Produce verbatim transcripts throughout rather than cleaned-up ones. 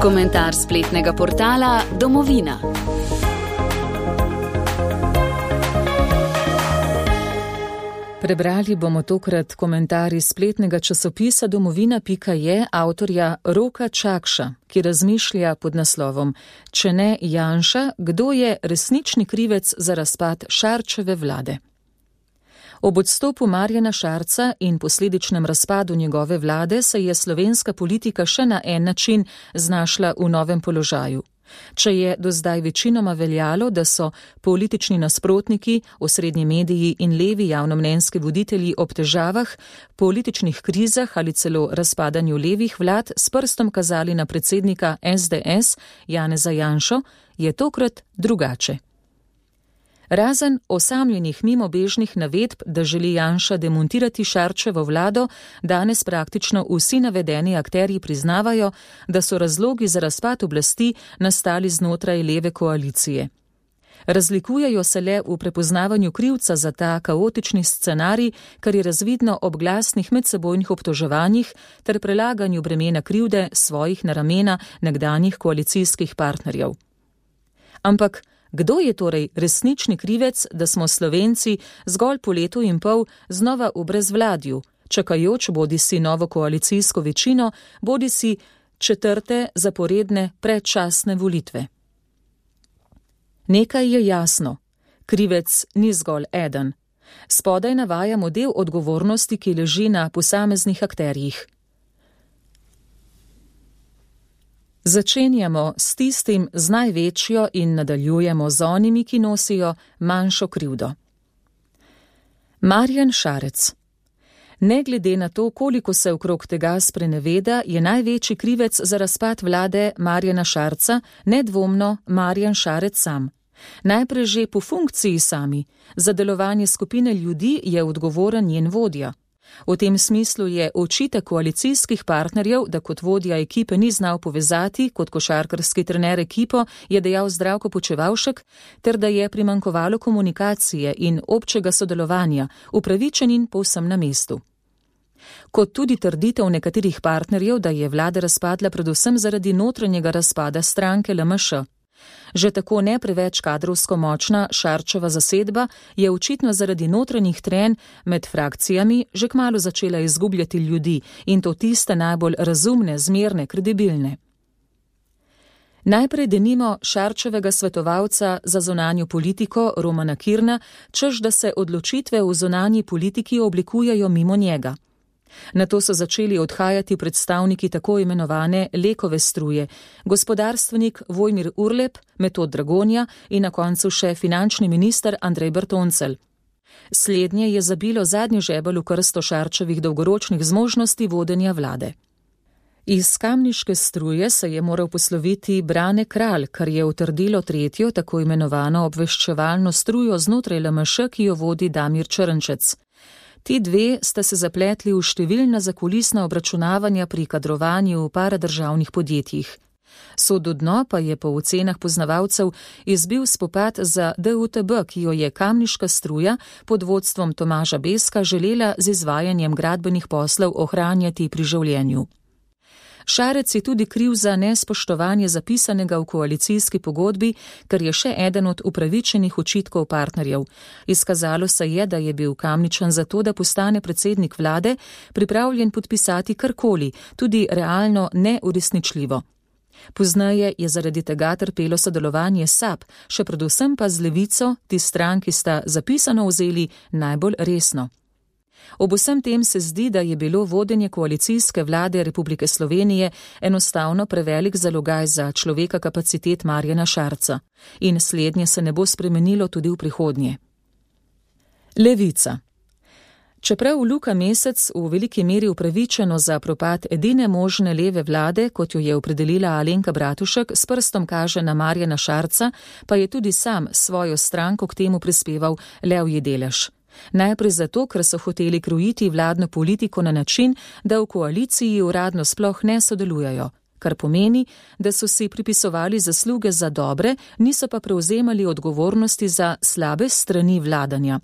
Komentar spletnega portala Domovina. Prebrali bomo tokrat komentar iz spletnega časopisa domovina pika je avtorja Roka Čakša, ki razmišlja pod naslovom Če ne Janša, kdo je resnični krivec za razpad Šarčeve vlade? Ob odstopu Marjana Šarca in posledičnem razpadu njegove vlade se je slovenska politika še na en način znašla v novem položaju. Če je do zdaj večinoma veljalo, da so politični nasprotniki, osrednji mediji in levi javnomnenjski voditelji ob težavah, političnih krizah ali celo razpadanju levih vlad s prstom kazali na predsednika es de es Janeza Janšo, je tokrat drugače. Razen osamljenih mimobežnih navedb, da želi Janša demontirati Šarčevo vlado, danes praktično vsi navedeni akterji priznavajo, da so razlogi za razpad oblasti nastali znotraj leve koalicije. Razlikujejo se le v prepoznavanju krivca za ta kaotični scenarij, kar je razvidno ob glasnih medsebojnih obtoževanjih ter prelaganju bremena krivde svojih na ramena nekdanjih koalicijskih partnerjev. Ampak kdo je torej resnični krivec, da smo Slovenci zgolj po letu in pol znova v brezvladju, čakajoč bodisi novo koalicijsko večino, bodisi četrte zaporedne predčasne volitve? Nekaj je jasno. Krivec ni zgolj eden. Spodaj navajamo del odgovornosti, ki leži na posameznih akterjih. Začenjamo s tistim z največjo in nadaljujemo z onimi, ki nosijo manjšo krivdo. Marjan Šarec. Ne glede na to, koliko se okrog tega spreneveda, je največji krivec za razpad vlade Marjana Šarca nedvomno Marjan Šarec sam. Najprej že po funkciji sami. Za delovanje skupine ljudi je odgovoren njen vodja. V tem smislu je očitek koalicijskih partnerjev, da kot vodja ekipe ni znal povezati, kot košarkarski trener ekipo, je dejal Zdravko Počivalšek, ter da je primanjkovalo komunikacije in občega sodelovanja, upravičen in povsem na mestu. Kot tudi trditev nekaterih partnerjev, da je vlada razpadla predvsem zaradi notranjega razpada stranke el em š. Že tako ne preveč kadrovsko močna Šarčeva zasedba je očitno zaradi notranjih trenj med frakcijami že kmalu začela izgubljati ljudi in to tiste najbolj razumne, zmerne, kredibilne. Najprej denimo Šarčevega svetovalca za zunanjo politiko Romana Kirna, češ da se odločitve v zunanji politiki oblikujejo mimo njega. Nato so začeli odhajati predstavniki tako imenovane Lekove struje, gospodarstvenik Vojmir Urlep, Metod Dragonja in na koncu še finančni minister Andrej Bertoncelj. Slednje je zabilo zadnji žebelj v krsto Šarčevih dolgoročnih zmožnosti vodenja vlade. Iz kamniške struje se je moral posloviti Brane Kralj, kar je utrdilo tretjo tako imenovano obveščevalno strujo znotraj el em š, ki jo vodi Damir Črnčec. Ti dve sta se zapletli v številna zakulisna obračunavanja pri kadrovanju v paradržavnih podjetjih. Sodu dno pa je po ocenah poznavalcev izbil spopad za de u te be, ki jo je kamniška struja pod vodstvom Tomaža Beska želela z izvajanjem gradbenih poslov ohranjati pri življenju. Šarec je tudi kriv za nespoštovanje zapisanega v koalicijski pogodbi, kar je še eden od upravičenih očitkov partnerjev. Izkazalo se je, da je bil Kamničan za to, da postane predsednik vlade, pripravljen podpisati karkoli, tudi realno neuresničljivo. Pozneje je zaradi tega trpelo sodelovanje S A P, še predvsem pa z Levico, ti stranki sta zapisano vzeli najbolj resno. Ob vsem tem se zdi, da je bilo vodenje koalicijske vlade Republike Slovenije enostavno prevelik zalogaj za človeka kapacitet Marjana Šarca in slednje se ne bo spremenilo tudi v prihodnje. Levica. Čeprav Luka Mesec v veliki meri upravičeno za propad edine možne leve vlade, kot jo je opredelila Alenka Bratušek, s prstom kaže na Marjana Šarca, pa je tudi sam svojo stranko k temu prispeval levji delež. Najprej zato, ker so hoteli krojiti vladno politiko na način, da v koaliciji uradno sploh ne sodelujejo, kar pomeni, da so si pripisovali zasluge za dobre, niso pa prevzemali odgovornosti za slabe strani vladanja.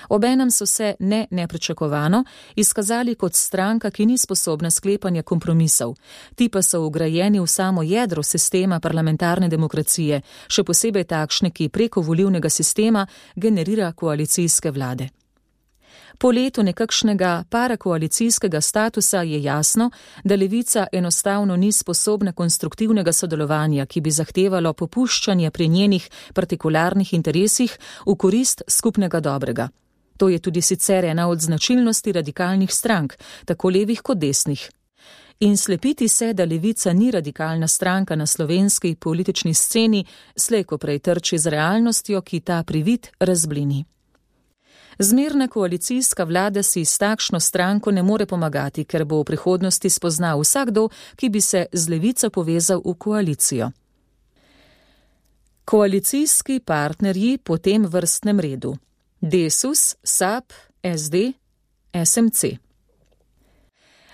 Obenem so se ne nepričakovano izkazali kot stranka, ki ni sposobna sklepanja kompromisov. Ti pa so vgrajeni v samo jedro sistema parlamentarne demokracije, še posebej takšne, ki preko volilnega sistema generira koalicijske vlade. Po letu nekakšnega parakoalicijskega statusa je jasno, da levica enostavno ni sposobna konstruktivnega sodelovanja, ki bi zahtevalo popuščanje pri njenih partikularnih interesih v korist skupnega dobrega. To je tudi sicer ena od značilnosti radikalnih strank, tako levih kot desnih. In slepiti se, da levica ni radikalna stranka na slovenski politični sceni, slej ko prej trči z realnostjo, ki ta privid razblini. Zmerna koalicijska vlada si s takšno stranko ne more pomagati, ker bo v prihodnosti spoznal vsakdo, ki bi se z levico povezal v koalicijo. Koalicijski partnerji po tem vrstnem redu: Desus, S A P, S D, S M C.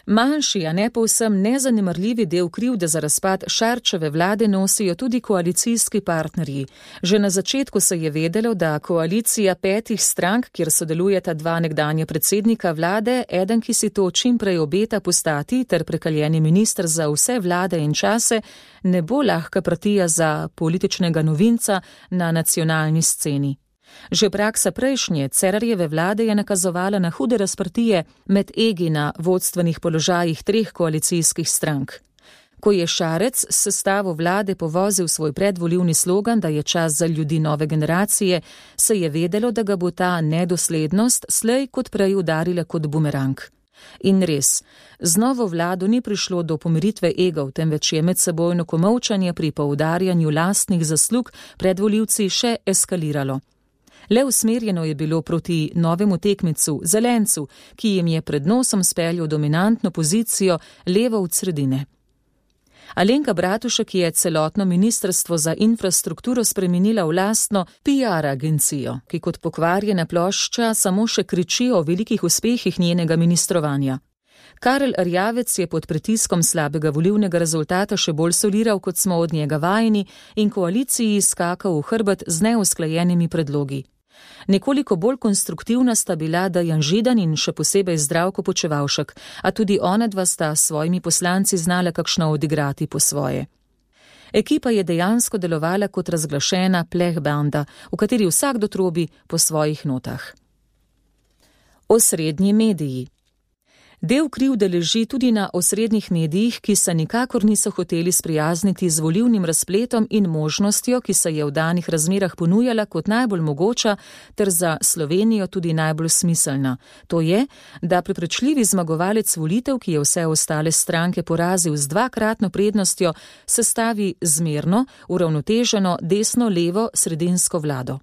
Manjši, a ne povsem nezanemarljivi del krivde za razpad Šarčeve vlade nosijo tudi koalicijski partnerji. Že na začetku se je vedelo, da koalicija petih strank, kjer sodelujeta dva nekdanja predsednika vlade, eden, ki si to čim prej obeta postati, ter prekaljeni minister za vse vlade in čase, ne bo lahka partija za političnega novinca na nacionalni sceni. Že praksa prejšnje Cerarjeve vlade je nakazovala na hude razprtije med egi na vodstvenih položajih treh koalicijskih strank. Ko je Šarec s sestavo vlade povozil svoj predvolilni slogan, da je čas za ljudi nove generacije, se je vedelo, da ga bo ta nedoslednost slej kot prej udarila kot bumerang. In res, z novo vlado ni prišlo do pomiritve egov, temveč je medsebojno komolčanje pri poudarjanju lastnih zaslug pred volivci še eskaliralo. Le usmerjeno je bilo proti novemu tekmicu, Zelencu, ki jim je pred nosom speljal dominantno pozicijo levo od sredine. Alenka Bratušek je celotno ministrstvo za infrastrukturo spremenila v lastno P R agencijo, ki kot pokvarjena plošča samo še kriči o velikih uspehih njenega ministrovanja. Karel Erjavec je pod pritiskom slabega volilnega rezultata še bolj soliral, kot smo od njega vajeni, in koaliciji skakal v hrbet z neusklajenimi predlogi. Nekoliko bolj konstruktivna sta bila Dejan Židan in še posebej Zdravko Počivalšek, a tudi ona dva sta s svojimi poslanci znala kakšno odigrati po svoje. Ekipa je dejansko delovala kot razglašena plehbanda, v kateri vsakdo trobi po svojih notah. Osrednji mediji. Del krivde leži tudi na osrednjih medijih, ki se nikakor niso hoteli sprijazniti z volilnim razpletom in možnostjo, ki se je v danih razmerah ponujala kot najbolj mogoča ter za Slovenijo tudi najbolj smiselna. To je, da prepričljivi zmagovalec volitev, ki je vse ostale stranke porazil z dvakratno prednostjo, sestavi zmerno, uravnoteženo desno-levo sredinsko vlado.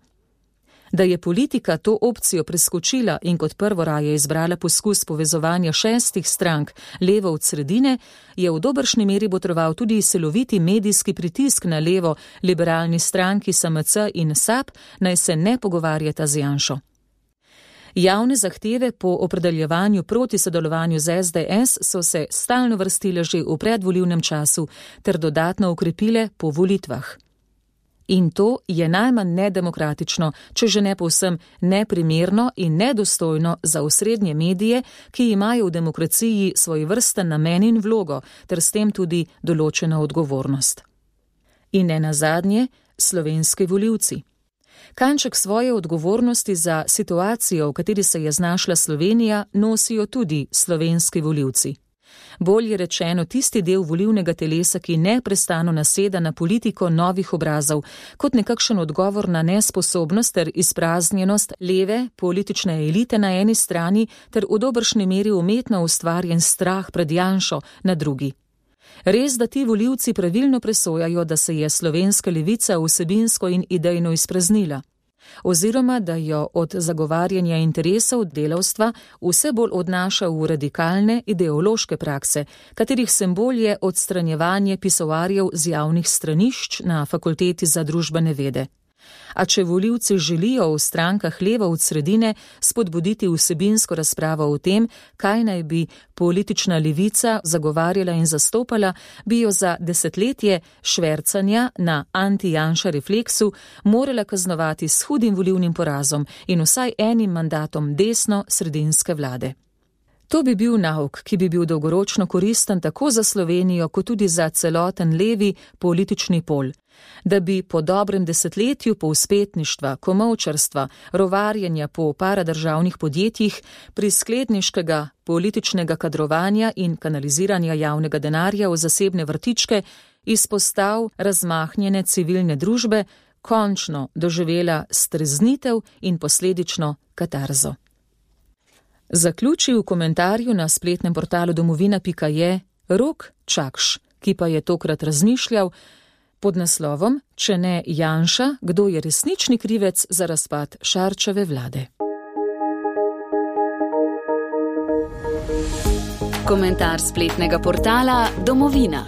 Da je politika to opcijo preskočila in kot prvo raje izbrala poskus povezovanja šestih strank levo od sredine, je v dobršni meri botroval tudi siloviti medijski pritisk na levo liberalni stranki S M C in S A P, naj se ne pogovarjata z Janšo. Javne zahteve po opredeljevanju proti sodelovanju z S D S so se stalno vrstile že v predvolilnem času ter dodatno ukrepile po volitvah. In to je najmanj nedemokratično, če že ne povsem neprimerno in nedostojno za osrednje medije, ki imajo v demokraciji svoj vrsten namen in vlogo, ter s tem tudi določena odgovornost. In ne nazadnje, slovenski volivci. Kanček svoje odgovornosti za situacijo, v kateri se je znašla Slovenija, nosijo tudi slovenski volivci. Bolje rečeno tisti del volilnega telesa, ki neprestano naseda na politiko novih obrazov, kot nekakšen odgovor na nesposobnost ter izpraznjenost leve politične elite na eni strani ter v dobršni meri umetno ustvarjen strah pred Janšo na drugi. Res, da ti volivci pravilno presojajo, da se je slovenska levica vsebinsko in idejno izpraznila, oziroma da jo od zagovarjanja interesov delavstva vse bolj odnaša v radikalne ideološke prakse, katerih simbol je odstranjevanje pisoarjev z javnih stranišč na Fakulteti za družbene vede. A če volivci želijo v strankah leva od sredine spodbuditi vsebinsko razpravo o tem, kaj naj bi politična levica zagovarjala in zastopala, bi jo za desetletje švercanja na anti-Janša refleksu morala kaznovati s hudim volilnim porazom in vsaj enim mandatom desno-sredinske vlade. To bi bil nauk, ki bi bil dolgoročno koristen tako za Slovenijo, kot tudi za celoten levi politični pol. Da bi po dobrem desetletju povzpetništva, komolčarstva, rovarjenja po paradržavnih podjetjih, priskledniškega političnega kadrovanja in kanaliziranja javnega denarja v zasebne vrtičke izpostav razmahnjene civilne družbe končno doživela streznitev in posledično katarzo. Zaključi v komentarju na spletnem portalu domovina pika je Rok Čakš, ki pa je tokrat razmišljal pod naslovom Če ne Janša, kdo je resnični krivec za razpad Šarčeve vlade. Komentar spletnega portala Domovina.